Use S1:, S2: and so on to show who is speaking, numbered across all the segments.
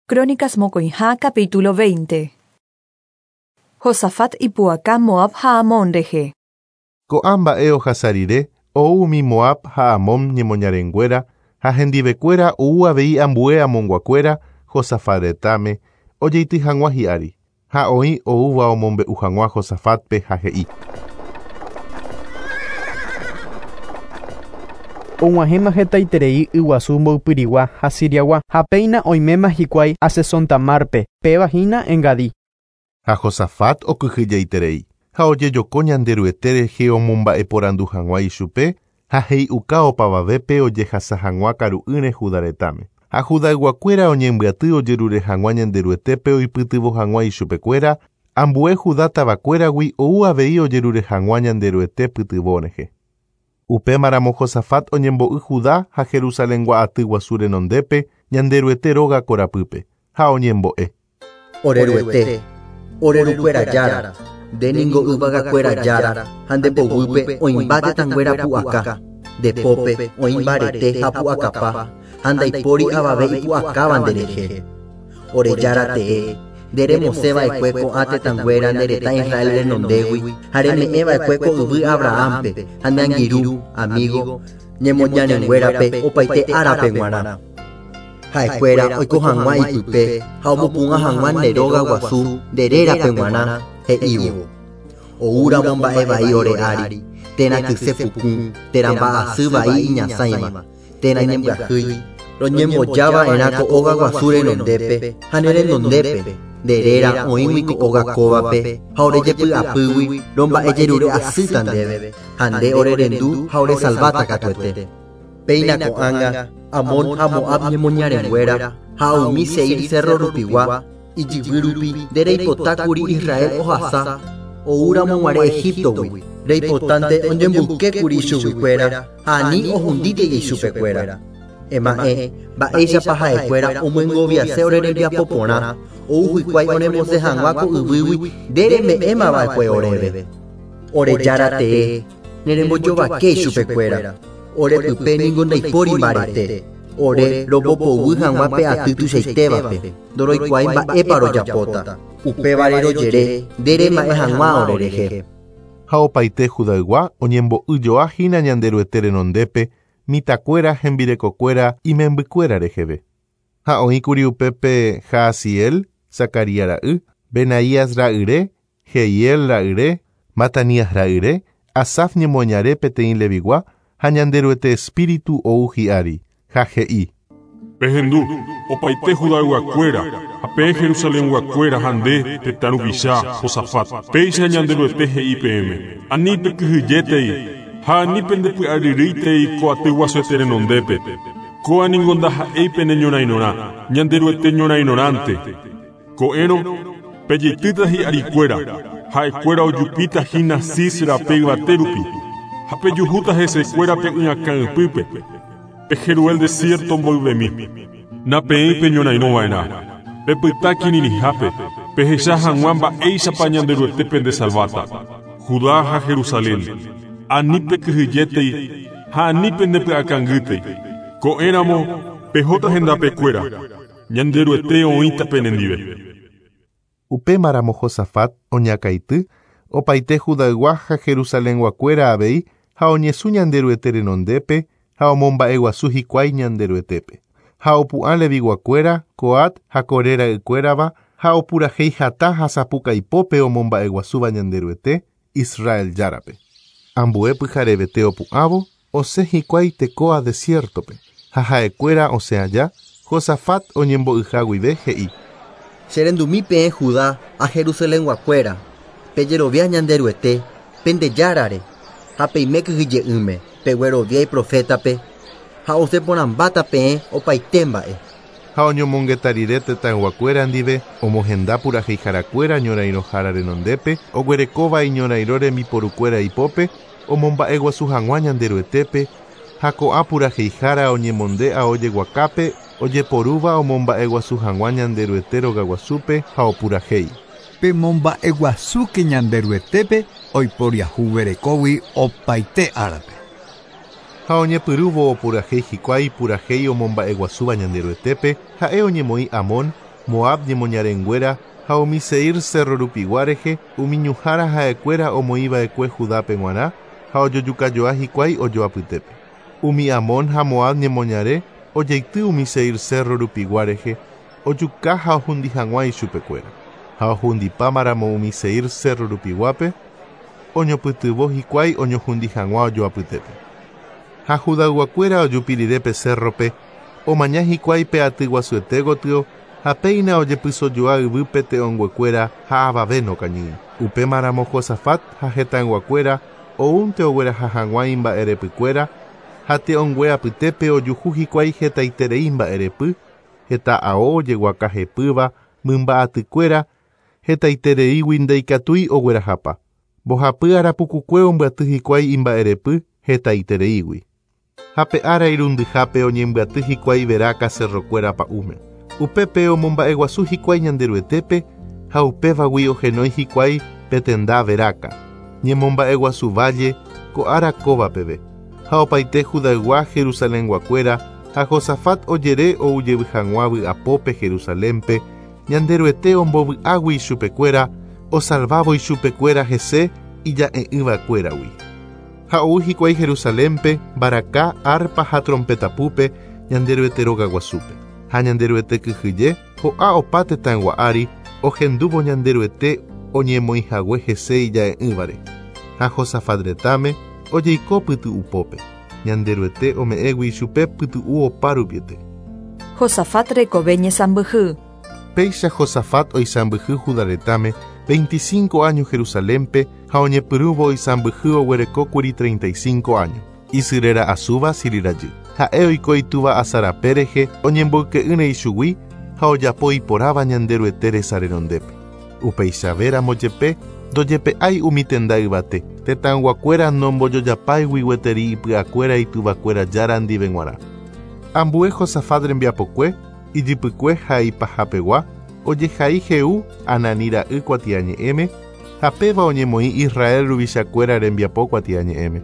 S1: Crónicas mokõiha capítulo 20. Josafat ipu'aka Moab ha Amón rehe.
S2: Ko'ã mba'e ohasa rire, ou umi Moab ha Amón ñemoñarenguéra ha hendivekuéra ou avei ambue Amonguakuéra Josafat retãme ojeity hag̃ua hi'ári, ha oĩ oúva omombe'u hag̃ua Josafat-pe ha he'i.
S3: Og̃uahẽma hetaiterei yguasu mboypyrigua ha Siriagua ha péina oiméma hikuái Asesontamárpe, péva hína Engadí.
S2: Ha Josafat okyhyjeiterei ha ojejoko Ñanderuete rehe omomba'eporandu hag̃ua ichupe ha he'iuka opavavépe ojehasa hag̃ua karu'ỹre Judá retãme. Ha Judayguakuéra oñembyaty ojerure hag̃ua Ñanderuetépe oipytyvõ hag̃ua ichupekuéra, ambue Judá tavakuéragui ou avei ojerure hag̃ua Ñanderuete pytyvõ rehe. Upémaramo Josafat oñembo'y Judá ha Jerusalengua aty guasu renondépe Ñanderuete róga korapýpe, ha oñembo'e.
S4: Ore Ruete, ore Rukuéra Jára, nde ningo yvagakuéra Jára ha nde poguýpe oĩmba tetãnguéra pu'aka, nde pópe oĩ mbarete ha pu'akapa ha ndaipóri avave ipu'akáva nderehe. Ore Jára tee, nde remosẽva'ekue ko'ã tetãnguéra nde retã Israel renondégui ha reme'ẽva'ekue ko yvy Abrahampe ha ne angirũ, amigo, ñemoñarenguérape opaite árape g̃uarã. Ha'ekuéra oiko hag̃ua ipype ha omopu'ã hag̃ua nde róga guasu nde rérape g̃uarã he'ívo. Oúramo mba'e vai ore ári, térã kyse puku, térã mba'asy vai iñasãiva, térã ñembyahýi, roñembojava'erã ko óga guasu renondépe ha ne renondépe, nde réra oĩgui ko óga kóvape ha ore jepy'apýgui romba'ejerure asýta ndéve, ha nde ore rendu ha ore salváta katuete. Péina ko'ág̃a Amón ha Moab ñemoñarenguéra ha umi Seir cerro rupigua, ijyvy rupi nde reipotákuri Israel ohasa oúramo g̃uarẽ Egiptogui, reipotánte oñemboykékuri ichuguikuéra ha ani ohundítei ichupekuéra. Ema'ẽ, mba'éichapa ha'ekuéra omyengoviase ore rembiapo porã, ou hikuái oremosẽ hag̃ua ko yvýgui nde reme'ẽmava'ekue oréve. Ore Jára tee, nerembojovakéi chupekuéra. Ore pype ningo ndaipóri mbarete. Ore rombopoguy hag̃ua pe aty tuichaitévape, ndoroikuaái mba'épa rojapóta. Upévare rojere nde rema'ẽ hag̃ua orerehe.
S2: Ha opaite Judaygua oñembo'yjoa hína Ñanderuete renondépe mitãkuéra hembirekokuéra imembykuéra reheve. Ha oĩkuri upépe Jahaziel, Zacarías ra'y, Benaías ra'yre, Jehiel ra'yre, Matanías ra'yre, Asaf ñemoñare peteĩ Levigua ha Ñanderuete espíritu ou hi'ári, ha he'i.
S5: Pehendu, opaite Judayguakuéra, ha peẽ Jerusalenguakuéra ha nde, tetã ruvicha, Josafat. Péicha Ñanderuete he'i peẽme, Ani pekyhyjétei, ha ani pendepy'aryrýitei ko aty guasuete renondépe. Kóa ningo ndaha'éi pene ñorãirõrã, Ñanderuete ñorãirõrãnte. Ko'ẽrõ, pejeitýta hi'arikuéra, ha'ekuéra ojupíta hína Sis rape yvate rupi, ha pejuhúta hesekuéra pe y'akã ypýpe, pe Jeruel desiérto mboyvemi. Napeẽi peñorãirõ va'erã, pepyta kirirĩhápe, pehecha hag̃ua mba'éichapa Ñanderuete pendesalváta. Judá ha Jerusalén, ani pekyhyjétei ha ani pendepy'akangýtei. Ko'ẽramo, pehóta hendapekuéra. Ñanderuete oĩta penendive.
S2: Upémaramo Josafat oñakãity, opaite Judaygua ha Jerusalenguakuéra avei ha oñesũ Ñanderuete renondépe ha omomba'eguasu hikuái Ñanderuetépe. Ha opu'ã Leviguakuéra, Coat ha Coré ra'ykuérava ha opurahéi hatã ha sapukaipópe omomba'eguasúva Ñanderuete, Israel Járape. Ambue pyharevete opu'ãvo, osẽ hikuái Tecoa desiértope, ha ha'ekuéra osẽ aja, Josafat oñembo'yha guive he'i.
S4: Che rendumi peẽ Judá ha Jerusalenguakuéra, pejerovia Ñanderuete, pende Járare, ha peime kyhyje'ỹme, peguerovia iprofétape, ha osẽ porãmbáta peẽ opaite mba'e.
S2: Ha oñomongeta rire tetãyguakuéra ndive, omohenda puraheiharakuéra ñorairõhára renondépe, oguerekóva iñorairõ rembiporukuéra ipópe, omomba'eguasu hag̃ua Ñanderuetépe, ha ko'ã puraheihára oñemonde ao jeguakápe, ojeporúva omomba'eguasu hag̃ua Ñanderuete rogaguasúpe ha opurahéi.
S6: Pemomba'eguasúke Ñanderuetépe oiporiahuverekógui opaite árape.
S2: Ha oñepyrũvo opurahéi hikuái purahéi omomba'eguasúva Ñanderuetépe, ha'e oñemoĩ Amón, Moab ñemoñarenguéra ha umi Seir cerro rupigua rehe, umi ñuhãra ha'ekuéra omoĩva'ekue Judápe g̃uarã ha ojojukajoa hikuái ojoapytépe. Umi Amón ha Moab ñemoñare ojeity umi Seir cerro rupigua rehe, ojuka ha ohundi hag̃ua ichupekuéra. Ha ohundipámaramo umi Seir cerro rupiguápe, oñopytyvõ hikuái oñohundi hag̃ua ojoapytépe. Ha Judayguakuéra ojupi rire pe cerrope, omaña hikuái pe aty guasuete gotyo ha péina ojepysojoa yvýpe te'õnguekuéra ha avave nokañýi. Upémaramo Josafat ha hetãyguakuéra oúnte ogueraha hag̃ua imba'erepykuéra ha te'õngue apytépe ojuhu hikuái hetaiterei mba'erepy, heta ao ojeguakahepýva mymba'atykuéra hetaitereígui ndaikatúi oguerahapa. Mbohapy arapukukue ombyaty hikuái imba'erepy hetaitereígui. Ha pe ára irundyhápe oñembyaty hikuái Beraka cerrokuéra pa'ũme. Upépe omomba'eguasu hikuái Ñanderuetépe ha upévagui ohenói hikuái pe tenda Beraka. Ñemomba'eguasu valle ko ára kóva peve. Ha opaite Judaygua Jerusalenguakuéra ha Josafat ojere oujevy hag̃ua vy'apópe Jerusalénpe Ñanderuete ombovy'águi ichupekuéra osalvávo ichupekuéra hese ija'e'ỹvakuéragui. Ha ou hikuái Jerusalénpe mbaraka, arpa ha trompetapúpe Ñanderuete rogaguasúpe. Ha Ñanderuete kyhyje ho'a opa tetãygua ári ohendúvo Ñanderuete oñemoĩhague hese ija'e'ỹvare. Ha Josafat retãme ojeiko pytu'upópe. Ñanderuete ome'ẽgui ichupe pytu'u opa rupiete.
S1: Josafat rekove ñesãmbyhy.
S2: Péicha Josafat oisãmbyhy Judá retãme 25 años Jerusalénpe ha oñepyrũvo oisãmbyhy oguerekókuri 35 años. Isy réra Azuba Silhi rajy. Ha'e oiko itúva Asa rape rehe oñemboyke'ỹre ichugui ha ojapo iporãva Ñanderuete resa renondépe. Upeichavéramo jepe ndojepe'ái umi tenda yvate, tetãyguakuéra nombojojapáigui gueteri ipy'akuéra ituvakuéra Jára ndive g̃uarã. Ambue Josafat rembiapokue, ijypykue ha ipahapegua, ojehai Jehú Ananí ra'y kuatiañe'ẽme ha péva oñemoĩ Israel ruvichakuéra rembiapo kuatiañe'ẽme.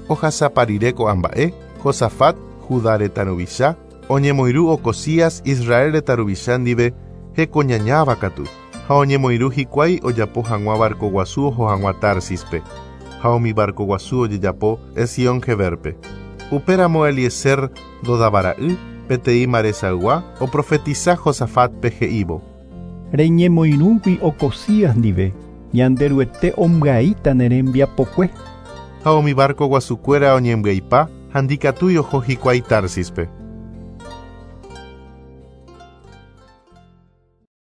S2: Ohasapa rire ko'ã mba'e, Josafat, Judá retã ruvicha, oñemoirũ Ocozías Israel retã ruvicha ndive hekoñañáva katu, ha oñemoirũ hikuái ojapo hag̃ua barcoguasu oho hag̃ua Társispe, ha umi barcoguasu ojejapo Ezión-Gebérpe. Upéramo Eliezer Dodava ra'y, peteĩ Maresaygua, oprofetisa Josafátpe he'ívo.
S7: Reñemoirũgui Ocozías ndive, Ñanderuete ombyaíta ne rembiapokue.
S2: Ha umi barcoguasukuéra oñembyaipa ha ndikatúi oho hikuái Társispe.